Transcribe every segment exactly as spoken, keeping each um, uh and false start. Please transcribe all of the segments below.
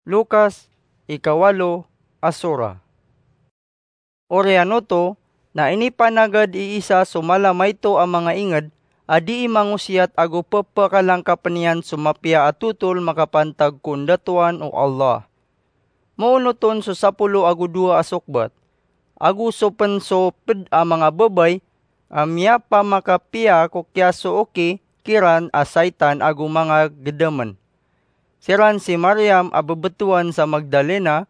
Lukas, ikawalo a sura. Oriyan oto, na inipanagad i Isa so mala maito a manga inged a dii mangosiyat ago pepakalangkapen iyan so mapiya a totol makapantag ko ndatoan o Allah. Moonoton so sapolo ago dowa a sokbat, ago so pen so ped a manga babay a miyapamakapiya ko kiyasooki kiran a saitan ago manga gedamen. Siran si Mariam a bebetowan sa Magdalena,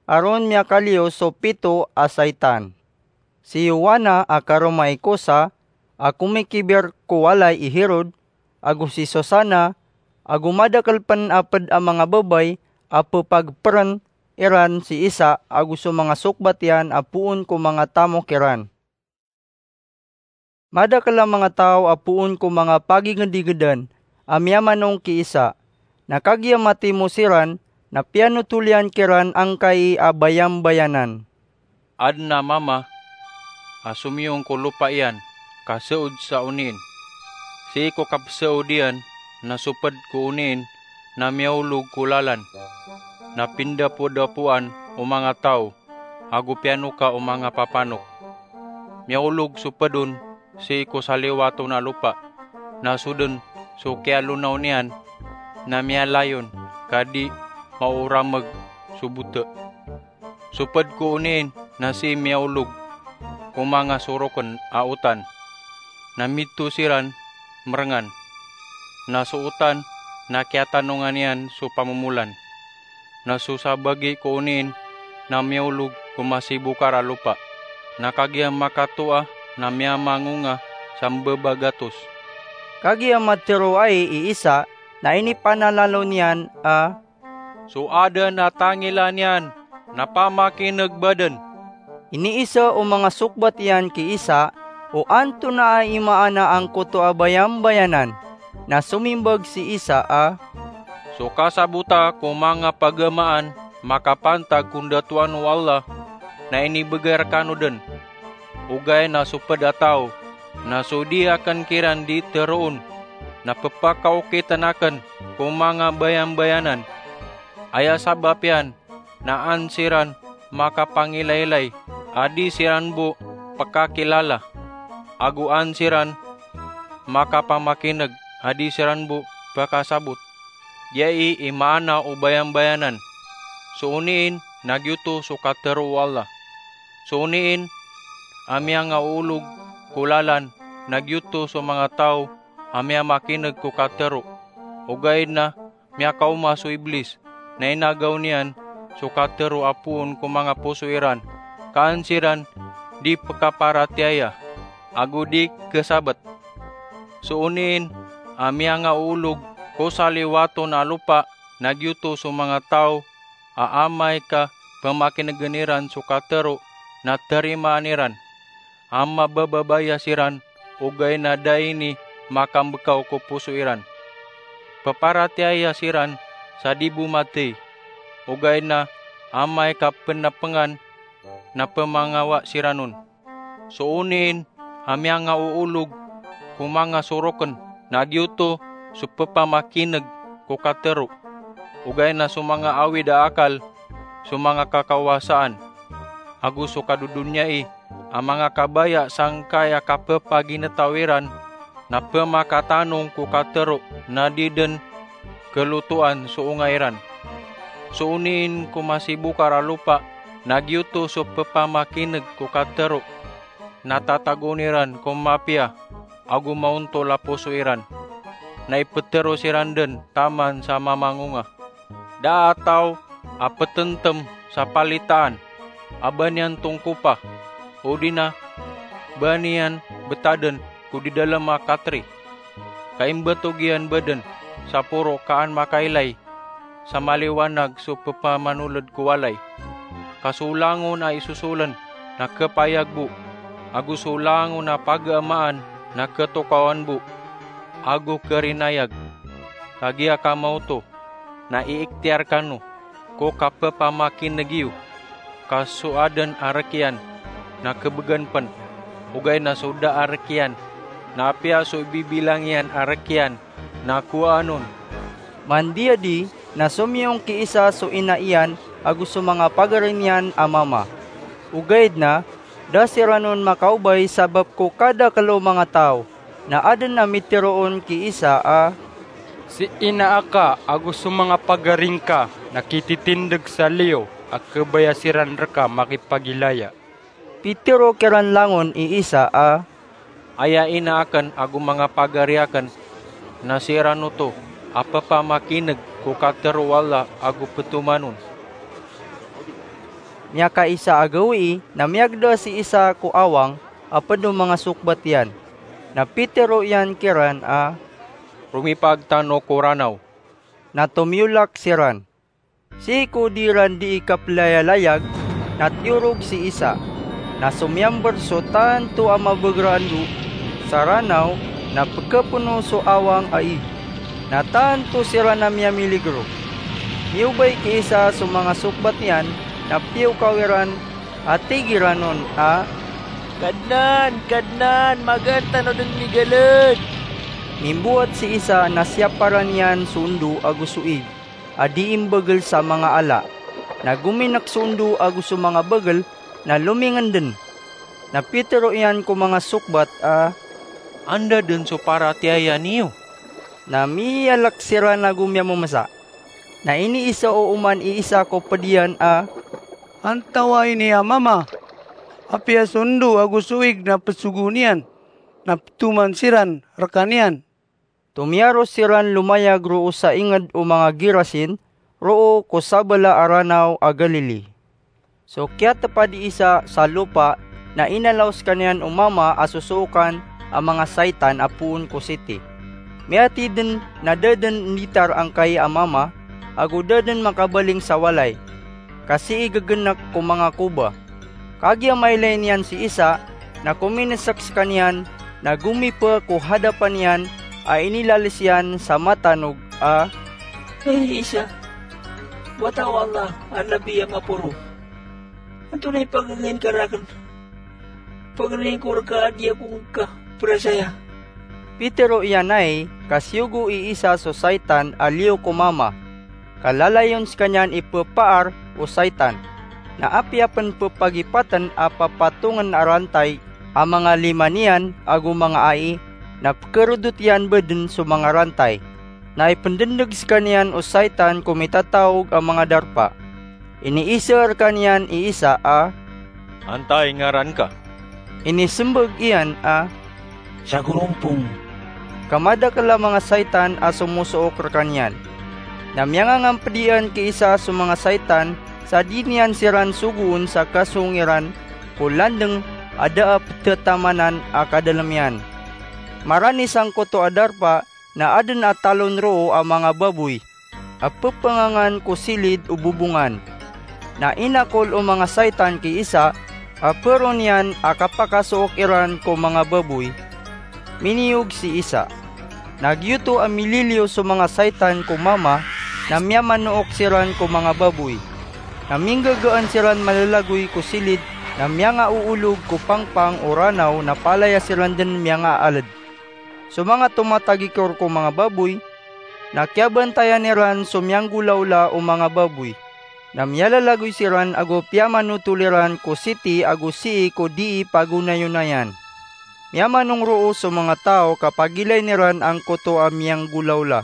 a ron miyakaliyo so pito a saitan. Si Yowana a karoma i Kusa, a komikibir ko walay i Herod, ago si Susana, ago madakel pen a ped a manga babay a pepagperen iran si Isa ago so manga sokbat iyan a poon ko manga tamok iran. Madakel a manga taw a poon ko manga pagingedigedan a miyamanong ki Isa, na kagiya matimo siran, na piyanotol iyan kiran angkai a bayambayanan. Aden a mama a somiyong ko lopa iyan ka seod sa onin. Sii ko kapeseod iyan na soped ko onin na miyaolog ko lalan, na pindapodapoan o manga taw ago piyanoka o manga papanok. Miyaolog so ped on sii ko saliwaton a lopa, na soden so kiyalonaw niyan na miyalayon ka di maorameg so bote. So ped ko onin na sii miyaolog ko manga soroken a otan, na mito siran merengan. Na so otan na kiyatanongan iyan so pamomolan. Na so sabagi ko onin na miyaolog ko masibokar a lopa, na kagiya makatoa na miyamangonga sa mbebagatos. Kagiya matero ai i Isa na inipanalalo niyan a, "So aden a tangila niyan na pamakineg baden." Iniisa o manga sokbat iyan ki Isa o antonaa i maana angkoto a bayambayanan. Na somimbag si Isa a, "So kasabota ko manga pagamaan makapantag ko ndatoan o Allah na inibegay rekano den. Ogaid na so ped a taw na so di aken kiran di teroon na pepakaokiten aken ko manga bayambayanan. Aya sabap iyan na an siran makapangilaylay a di siran bo pekakilala, ago an siran makapamakineg a di siran bo pekasabot. Giyai i maana o bayambayanan. So onin na giyoto so katero o Allah. So onin a miyangaoolog ko lalan na giyoto so manga taw a miyamakineg ko katero. Ogaid na miyakaoma so Iblis, na inagaw niyan so katero a poon ko manga poso iran, ka an siran di pekaparatiyaya, ago di kesabet. So onin a miyangaoolog ko saliwaton a lopa na giyoto so manga taw a amay ka pemakinegen iran so katero na tarimaan iran, a mabababaya siran ogaid na da ini makambekaw ko poso iran. Peparatiyaya siran sa di bo matey, ogaid na amay ka penapengan na pemangawa siran on. So onin a miyangaoolog ko manga soroken na giyoto so pepamakineg ko katero, ogaid na so manga awid a akal, so manga kakawasaan, ago so kadodonyai a manga kabaya sangkai a kapepaginetaw iran na pemakatanong ko katero na di den kelotoan so onga iran. So onin ko masibokar a lopa na giyoto so pepamakineg ko katero na tatagoon iran ko mapiya ago maontol a poso iran, na ipetero siran den taman sa mamangonga. Da a taw a petentem sa palitaan a ba niyan tongkopa, odi na ba niyan betaden ko didalem a katri, ka imbetog iyan baden sa poro ka an makailay sa maliwanag so pepamanoled ko walay. Ka so langon a isosolen na kepayag bo, ago so langon a pagamaan na ketokawan bo, ago kerinayag. Kagiya ka maoto na iiktiyar kano ko kapepamakineg iyo, ka so aden a rek iyan na kebegan pen, ogaid na so da a rek iyan na apiya so ibibilang iyan a rek iyan na kowaan on. Mandiyadi Na somiyong ki isa so ina iyan ago so manga pagari niyan a mama. Ogaid na da siran on makaobay sabap ko kadakel o manga taw, na aden a mitero on ki isa a, "Si ina aka ago so manga pagari ngka na kititindeg sa liyo a kebaya siran reka makipagilaya." Pitero kiran langon i isa a, "Aya ina aken ago manga pagari aken na siran oto a pepamakineg ko katero o Allah ago petoman on." Miyakaisa a gawii na miyagda si isa ko awang a ped o manga sokbat iyan. Na pitero iyan kiran a, "Romipag tano ko Ranaw." Na tomiyolak siran. Sii ko di iran dii kapelayalayag, na tiyorog si isa, na somiyamber so tanto a mabeger a ndo sa Ranaw, na pekepeno so awang a ig, na tanto siran a miyamiligro. Miyobay ki isa so manga sokbat iyan, na piyokaw iran a tig iran on a, "Kadnan, Kadnan, magaan tano den migaled." Mimbowat si isa na siyaparan iyan so ndo ago so ig a dii mbegel sa manga ala. Na gominek so ndo ago so manga begel na lomingenden. Na pitero iyan ko manga sokbat a, "Anda den so paratiyaya niyo?" Na miyalek siran ago miyamemesa. Na iniiza o oman i isa ko ped iyan a, "Antawaa ini a mama? Apiya so ndo ago so ig na pesogoon iyan, na petoman siran rekaniyan." Tomiyaros siran lomayag roo sa inged o manga Gerasin, roo ko sabala a Ranaw a Galili. So kiyatepad i isa sa lopa na inalaw sekaniyan o mama a sosookan a manga saitan a poon ko siti. Miyatiden na da den nditar angkai a mama, ago da den makabaling sa walay, ka sii gegenek ko manga koba. Kagiya mailay niyan si isa, na kominesek sekaniyan, na gomipa ko hadapan iyan a inilalis iyan sa matanog a, "Hay isa, wata o Allah a nabi a maporo. Antonaa i pagegen ka raken? Pagegen ko reka a di ako ngka perasaya." Pitero iyan ai ka siyogo i isa so saitan a liyo ko mama, ka lalayon sekaniyan i pepaar o saitan. Na apiya pen pepagipaten a papatongen a rantay a manga lima niyan ago manga ai, na pekerodot iyan bo den so manga rantay. Na ipendendeg sekaniyan o saitan ko mitataog a manga darpa. Iniiza rekaniyan i isa a, "Antai ngaran ka?" Inisembag iyan a, "Sagorompong." Ka madakel a manga saitan a somosook rekaniyan. Na miyangangamped iyan ki isa so manga saitan sa di niyan siran sogoon sa kasong iran ko landeng a da a petetamanan a kadalem iyan. Marani sangkoto a darpa na aden a talon roo a manga baboy a pepengangan ko silid o bobongan. Na inakol o manga saitan ki isa a paro niyan a kapakasook iran ko manga baboy. Miniyog si isa. Na giyoto a mililiyo so manga saitan ko mama, na miyamanook siran ko manga baboy. Na minggagaan siran malalagoy ko silid, na miyangaoolog ko pangpang o Ranaw na palaya siran den miyangaaled. So manga tomatagikor ko manga baboy na kiyabantayan iran so miyanggolawla o manga baboy. Na miyalalagoy siran ago piyamanotol iran ko siti ago sii ko dii pagonayonayan. Miyamanong roo so manga taw ka pagilayn iran angkoto a miyanggolawla.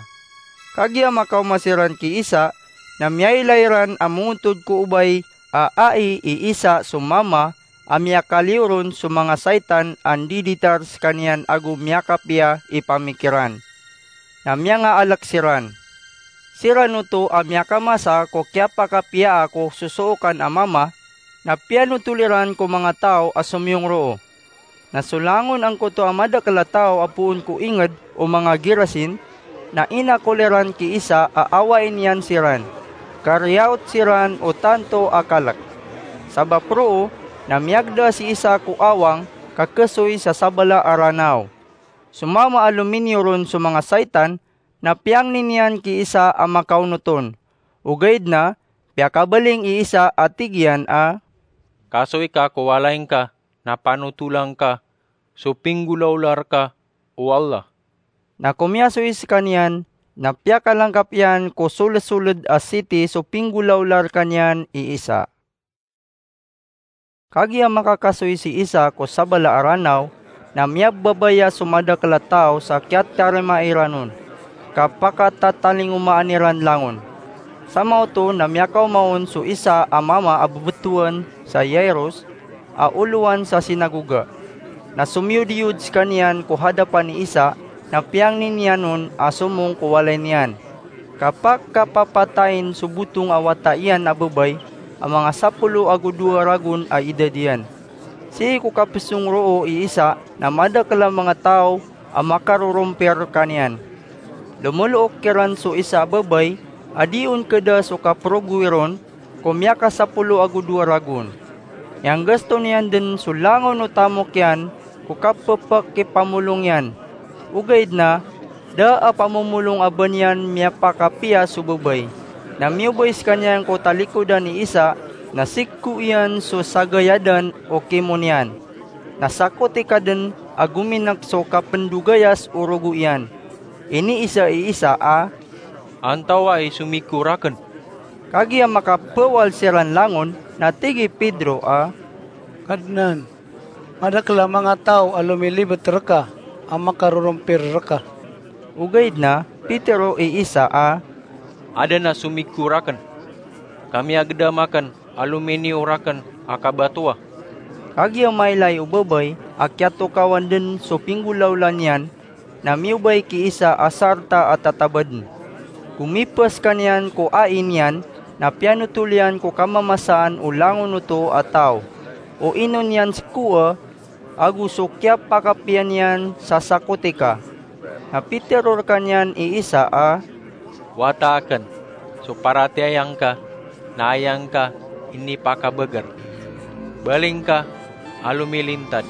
Kagiya makaoma siran ki isa, na miyailay iran a mongontod ko obay a ai i isa so mama a miyakaliyo ron so manga saitan a ndiditar sekaniyan ago miyakapiya i pamikiran. Na miyangaalek siran. Siran oto a miyakamasa ko kiyapakapiyaa ko sosookan a mama, na piyanotol iran ko manga taw a somiyong roo. Na so langon angkoto a madakel a taw a poon ko inged o manga Gerasin, na inakol iran ki isa a awain iyan siran, ka riyaot siran o tanto a kalek. Sabap roo na miyagda si isa ko awang ka kesoy sa sabala a Ranaw. So mama a lominiyo ron so manga saitan, na piyangni niyan ki isa a makaonot on. Ogaid na piyakabaling i isa a tig iyan a, "Kasoy ka ko walay ngka, na panotola ngka so pinggolawla reka o Allah." Na komiyasoy sekaniyan na piyakalangkap iyan ko solesoled a siti so pinggolawla rekaniyan i Isa. Kagiya makakasoy si Isa ko sabala a Ranaw, na miyababaya so madakel a taw sa kiyatiyarima iran on, ka pakatatalingomaan iran langon. Samaoto na miyakaoma on so isa a mama a bebetowan sa Jairus, a olowan sa sinagoga. Na somiyodiyod sekaniyan ko hadapan i Isa, na piyangni niyan on a somong ko walay niyan, ka pakapapatayin so botong a wata iyan a babay a manga sapolo ago dowa ragon a idad iyan. Sii ko kapesong roo i Isa na madakel a manga taw a makarorompir rekaniyan. Lomolook kiran so isa a babay a di on keda so kaperogowi ron ko miyakasapolo ago dowa ragon. Iyanggasto niyan den so langon o tamok iyan ko kapepakipamolong iyan. Ogaid na, da a pamomolong a ba niyan miyapakapiya so babay. Na miyobay sekaniyan ko talikodan i Isa, na sigko iyan so sagayadan o kimo niyan. Na sakotika den a gominek so kapendogayas o rogo iyan. Iniisa i Isa a, "Antawaa i somigko raken?" Kagiya makapawal siran langon, na tig i Pedro a, "Kadnan, madakel a manga taw a lomilibet reka a makarorompir reka." Ogaid na, pitero i Isa a, "Aden a somigko raken, ka miyagedam aken a lominiyo raken a kabatowa." Kagiya mailay o babay a kiyatokawan den so pinggolawla niyan, na miyobay ki Isa a sarta a tatabaden. Komipa sekaniyan ko ai niyan, na piyanotol iyan ko kamamasaan o langon oto a taw, o ino niyan sekoa, ago so kiyapakapiya niyan sa sakotika. Na pitero rekaniyan i Isa a, "Wata aken so paratiyaya ngka, na aya ngka inipakabeger. Baling ka a lomilintad."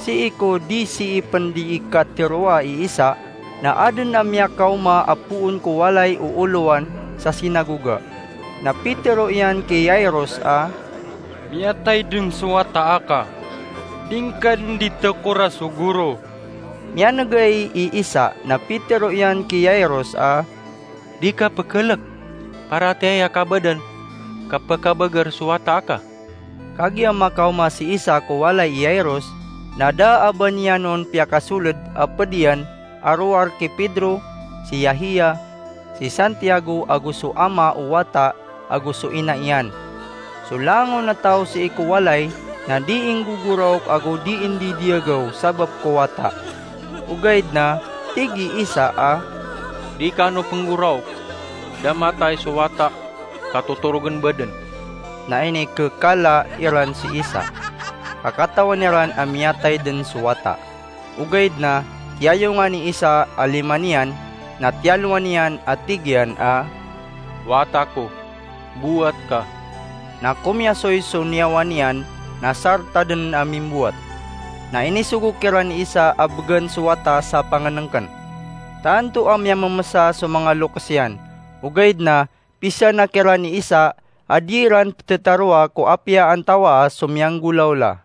Sii ko di sii pen di ikatiroa i Isa, na aden a miyakaoma a poon ko walay o olowan sa sinagoga. Na pitero iyan ki Jairus a, "Miyatay den so wata aka. Di ngka den di tekora so goro." Miyanegay i Isa, na pitero iyan ki Jairus a, "Di ka pekelek. Paratiyaya ka baden ka pekabeger so wata aka." Kagiya makaoma si Isa ko walay i Jairus, na da a ba niyan on piyakasoled a ped iyan a rowar ki Pedro, si Yahia, si Santiago ago so ama o wata ago so ina iyan. So langon a taw sii ko walay na di inggogoraok ago di indidiyagew sabap ko wata. Ogaid na tig i Isa a, "Di kano penggoraok. Da matay so wata ka totorogen baden." Na inikekala iran si Isa, ka katawan iran a miyatay den so wata. Ogaid na tiyayongan i Isa a lima niyan, na tiyalowan iyan a tig iyan a, "Wata ko, bowat ka." Na komiyasoy so niyawa niyan, na sarta den a mimbowat. Na inisogo kiran i Isa a begen so wata sa pangenengken. Tanto a miyamemesa so manga lokes iyan, ogaid na pisana kiran i Isa a di iran petetaroa ko apiya antawaa so miyanggolawla.